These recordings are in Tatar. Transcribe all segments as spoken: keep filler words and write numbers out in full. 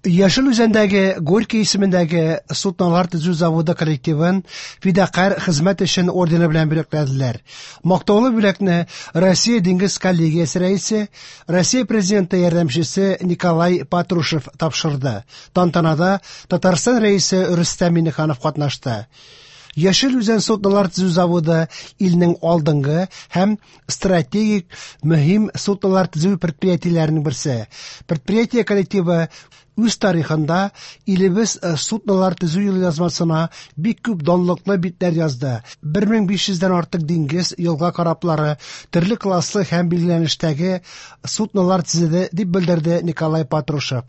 Яшел Үзәндәге Горький исемендәге суднолар төзү заводы коллективын «Фидакарь хезмәт өчен» ордены белән бүләкләделәр. Мактаулы бүләкне Россия диңгез коллегиясе рәисе, Россия Президенты ярдәмчесе Николай Патрушев тапшырды. Тантанада Татарстан Рәисе Рөстәм Миңнеханов катнашты. Яшел Үзән суднолар төзү заводы илнең алдынгы һәм стратегик мөһим суднолар төзү предприятиеләренең берсе. Предприятие коллективы үз тарихында илебез суднолар төзү елъязмасына бик күп данлыклы битләр язды. бер мең биш йөздән артык диңгез, елга кораблары, төрле класслы һәм билгеләнештәге суднолар төзеде, дип белдерде Николай Патрушев.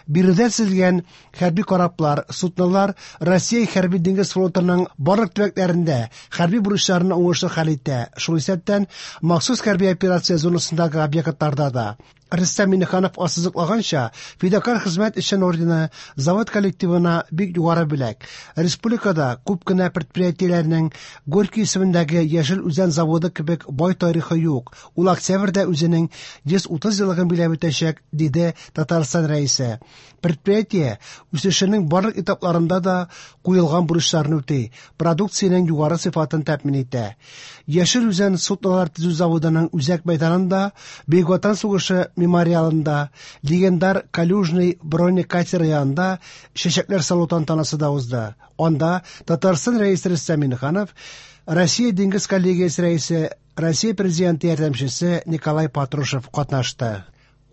Биредә төзелгән хәрби кораблар, суднолар Россия хәрби диңгез флотының барлык төбәкләрендә хәрби бурычларны уңышлы хәл итә. Шул исәптән махсус хәрби операция зонасындагы объектларда да. Рөстәм Миңнеханов ассызыклаганча, «Фидакарь хезмәт өчен» ордены завод коллективына бик югары бүләк. Республикада күп кенә предприятиеләрнең Горький исемендәге Яшел Үзән заводы кебек бай тарихы юк. Ул октябрьдә үзенең йөз утыз еллыгын биләп үтәчәк, диде Татарстан Рәисе. Предприятие үсешенең барлык этапларында да куелган бурычларны үти, продукциянең югары сыйфатын тәэмин итә. Яшел Үзән суднолар төзү заводының үзәк мәйданында Бөек Ватан сугышы мемориалында легендар Калюжный бронекатеры янында чәчәкләр салу тантанасы да узды. Анда Татарстан Рәисе Рөстәм Миңнеханов, Россия диңгез коллегиясе рәисе, Россия Президенты ярдәмчесе Николай Патрушев катнашты.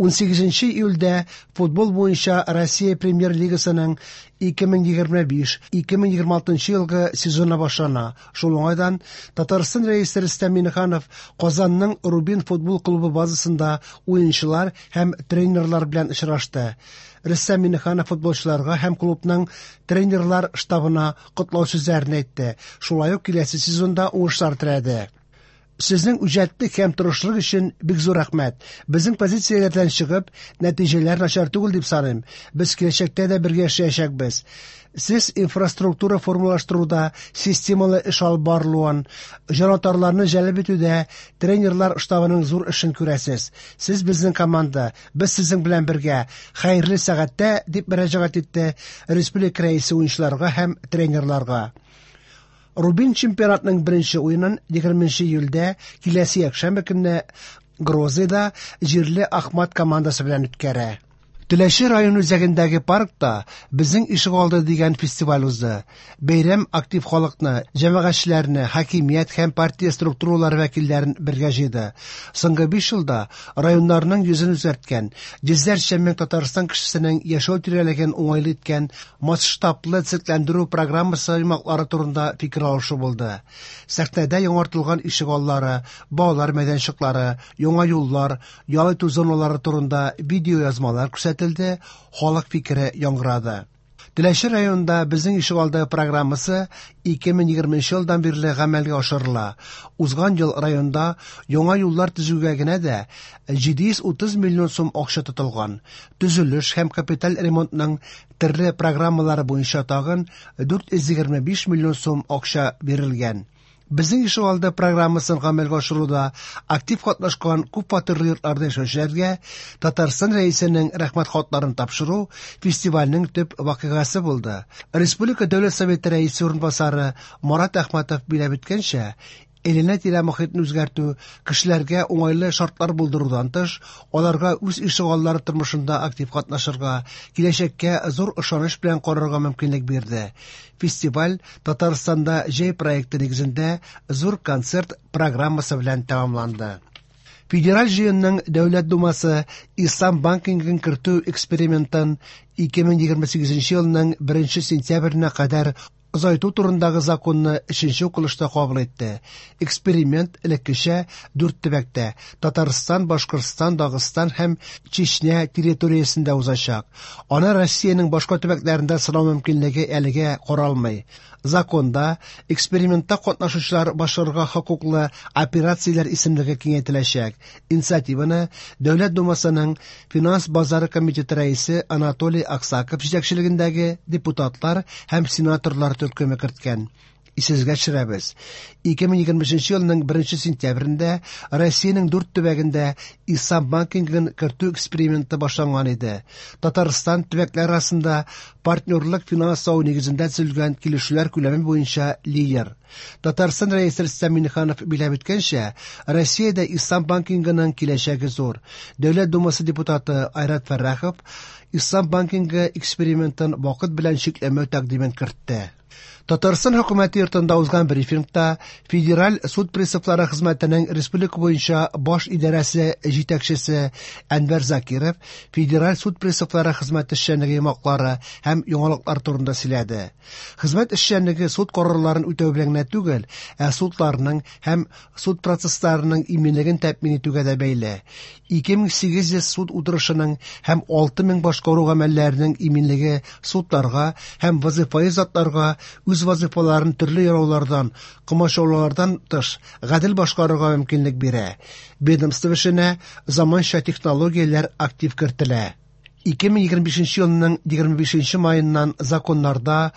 Унсигезенче июльдә футбол буенча Россия Премьер-лигасының ике мең егерме биш - ике мең егерме алтынчы елгы сезоны башлана. Шул уңайдан Татарстан Рәисе Рөстәм Миңнеханов Казанның Рубин футбол клубы базасында уенчылар һәм тренерлар белән очрашты. Рөстәм Миңнеханов футболчыларга һәм клубның тренерлар штабына котлау сүзләрен әйтте. Шулай ук киләсе сезонда уңышлар теләде. Сезнең үҗәтлек һәм тырышлык өчен бик зур рәхмәт. Безнең позицияләрдән чыгып, нәтиҗәләр начар түгел дип саныйм. Без киләчәктә дә бергә эшләячәкбез. Сез инфраструктура формалаштыруда системалы эш алып барылуын, җанатарларны җәлеп итүдә тренерлар штабының зур эшен күрәсез. Сез безнең команда, без сезнең белән бергә. Хәерле сәгатьтә, дип мөрәҗәгать итте республика рәисе уенчыларга һәм тренерларга. Рубин чемпионатының беренче уенын егерменче июльдә киләсе якшәмбе көнне Грозныйда җирле Ахмат командасы белән үткәрә. Теләче район үзәгендәге паркта Безнең ишегалды дигән фестиваль узды. Бәйрәм актив халыкны, җәмәгатьчеләрне, хакимият һәм партия структуралары вәкилләрен бергә җыйды. Соңгы биш елда районнарның йөзен үзгәрткән, йөзләрчә мең Татарстан кешесенең яшәү тирәлеген уңайлы иткән масштаблы төзекләндерү программасы йомгаклары турында фикер алышу булды. Сәхнәдә яңартылган ишегаллары, балалар мәйданчыклары, яңа юллар, ял итү зоналары турында видеоязмалар күрсәтелде, халык фикере яңгырады. Теләче районында Безнең ишегалды программасы ике мең егерменче елдан бирле гамәлгә ашырыла. Узган ел районда яңа юллар төзүгә генә дә җиде йөз утыз миллион сум акча тотылган. Төзелеш һәм капиталь ремонтның төрле программалары буенча тагын дүрт йөз егерме биш миллион сум акча бирелгән. Безнең ишегалды программасын гамәлгә ашыруда актив катнашкан күп фатирлы йортларда яшәүчеләргә Татарстан Рәисенең рәхмәт хатларын тапшыру фестивальнең төп вакыйгасы булды. Республика Дәүләт Советы рәисе урынбасары Марат Әхмәтов биләп үткәнчә, әйләнә-тирә мохитне үзгәртү, кешеләргә уңайлы шартлар булдырудан тыш, аларга үз ишегаллары тормышында актив катнашырга, киләчәккә зур ышаныч белән карарга мөмкинлек бирде. Фестиваль Татарстанда җәй проекты нигезендә зур концерт программасы белән тәмамланды. Федераль җыенның Дәүләт Думасы Ислам банкингын кертү экспериментын ике мең егерме сигезенче елның беренче сентябренә кадәр озайту турындагы законны өченче укылышта кабул итте. Эксперимент элеккечә дүрт төбәктә Татарстан, Башкортстан, Дагыстан һәм Чечня территориясендә узачак. Аны Россиянең башка төбәкләрендә сынау мөмкинлеге әлегә каралмый. Законда экспериментта катнашучылар башкарырга хокуклы операцияләр исемлеге киңәйтеләчәк. Инициативаны Дәүләт Думасының Финанс базары комитеты рәисе Анатолий Аксаков җитәкчелегендәге депутатлар һәм сенаторлар төркеме керткән. Исегезгә төшерәбез, ике мең егерме өченче елның беренче сентябрендә Россиянең дүрт төбәгендә ислам банкингын кертү эксперименты башланган иде. Татарстан төбәкләр арасында партнерлык финанслау нигезендә төзелгән килешүләр күләме буенча лидер. Татарстан Рәисе Рөстәм Миңнеханов билгеләп үткәнчә, Россиядә ислам банкингының киләчәге зур. Дәүләт Думасы депутаты Айрат Фәррахов ислам банкингы экспериментын вакыт белән чикләмәү тәкъдимен кертте. Татарстан хөкүмәте йортында узган брифингта Федераль суд приставлары хезмәтенең республика буенча баш идарәсе җитәкчесе Әнвәр Закиров Федераль суд приставлары хезмәте эшчәнлеге йомгаклары һәм яңалыклар турында сөйләде. Хезмәт эшчәнлеге суд карарларын үтәү белән генә түгел, ә судларның һәм суд процессларының иминлеген тәэмин итүгә дә бәйле. ике мең сигез йөз суд утырышының һәм алты мең башкару гамәлләренең иминлеге судларга һәм вазифаи затларга үз вазифаларын төрле яраулардан, комачаулардан тыш гадел башкарырга мөмкинлек бирә. Ведомство эшенә заманча технологияләр актив кертелә. ике мең егерме бишенче елның егерме бишенче маеннан законнарда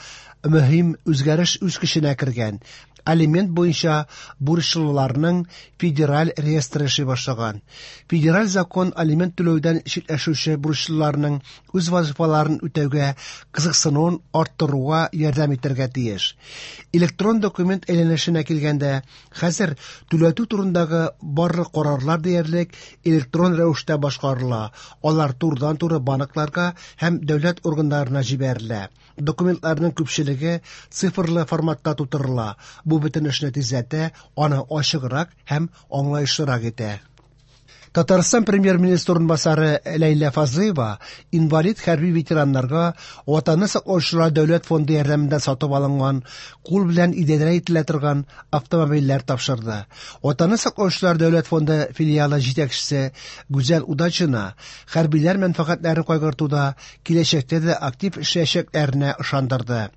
мөһим үзгәреш үз көченә кергән. Алимент буенча бурычлыларның федераль реестры эшли башлаган. Федераль закон алимент түләүдән читләшүче бурычлыларның үз вазифаларын үтәүгә кызыксынуын арттыруга ярдәм итәргә тиеш. Электрон документ әйләнешенә килгәндә, хәзер түләтү турындагы барлык карарлар диярлек электрон рәвештә башкарыла. Алар турыдан-туры банкларга һәм дәүләт органнарына җибәрелә. Документларның күпчелеге цифрлы форматта тутырыла. Бу бөтен эшне тизләтә, аны ачыграк һәм аңлаешлырак итә. Татарстан премьер-министры урынбасары Ләйлә Фазлыева инвалид хәрби ветераннарга Ватанны саклаучылар дәүләт фонды ярдәмендә сатып алынган кул белән идарә ителә торган автомобильләр тапшырды. Ватанны саклаучылар дәүләт фонды филиалы җитәкчесе Гүзәл Удачина хәрбиләр мәнфәгатьләрен кайгыртуда киләчәктә дә актив эшләячәкләренә ышандырды.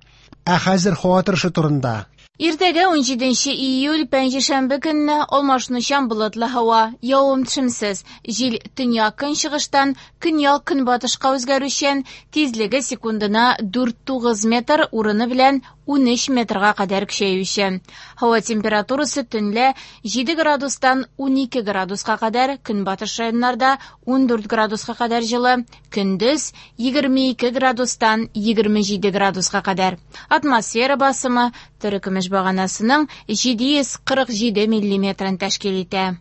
Ә хәзер һава торышы турында. Иртәгә ун җиденче июль пәнҗешәмбе көнне алмашынучан болытлы һава, явым-төшемсез, җил төньяк-көнчыгыштан көньяк-көнбатышка үзгәрүчән, тизлеге секундына дүрт тугыз метр, урыны белән ун өч метрга кадәр көчәючән. Һава температурасы төнлә җиде градустан ун ике градуска кадәр, көнбатыш районнарда ун дүрт градуска кадәр җылы, көндез егерме ике градустан егерме җиде градуска кадәр. Атмосфера басымы терекөмеш баганасының җиде йөз кырык җиде миллиметрын тәшкил итә.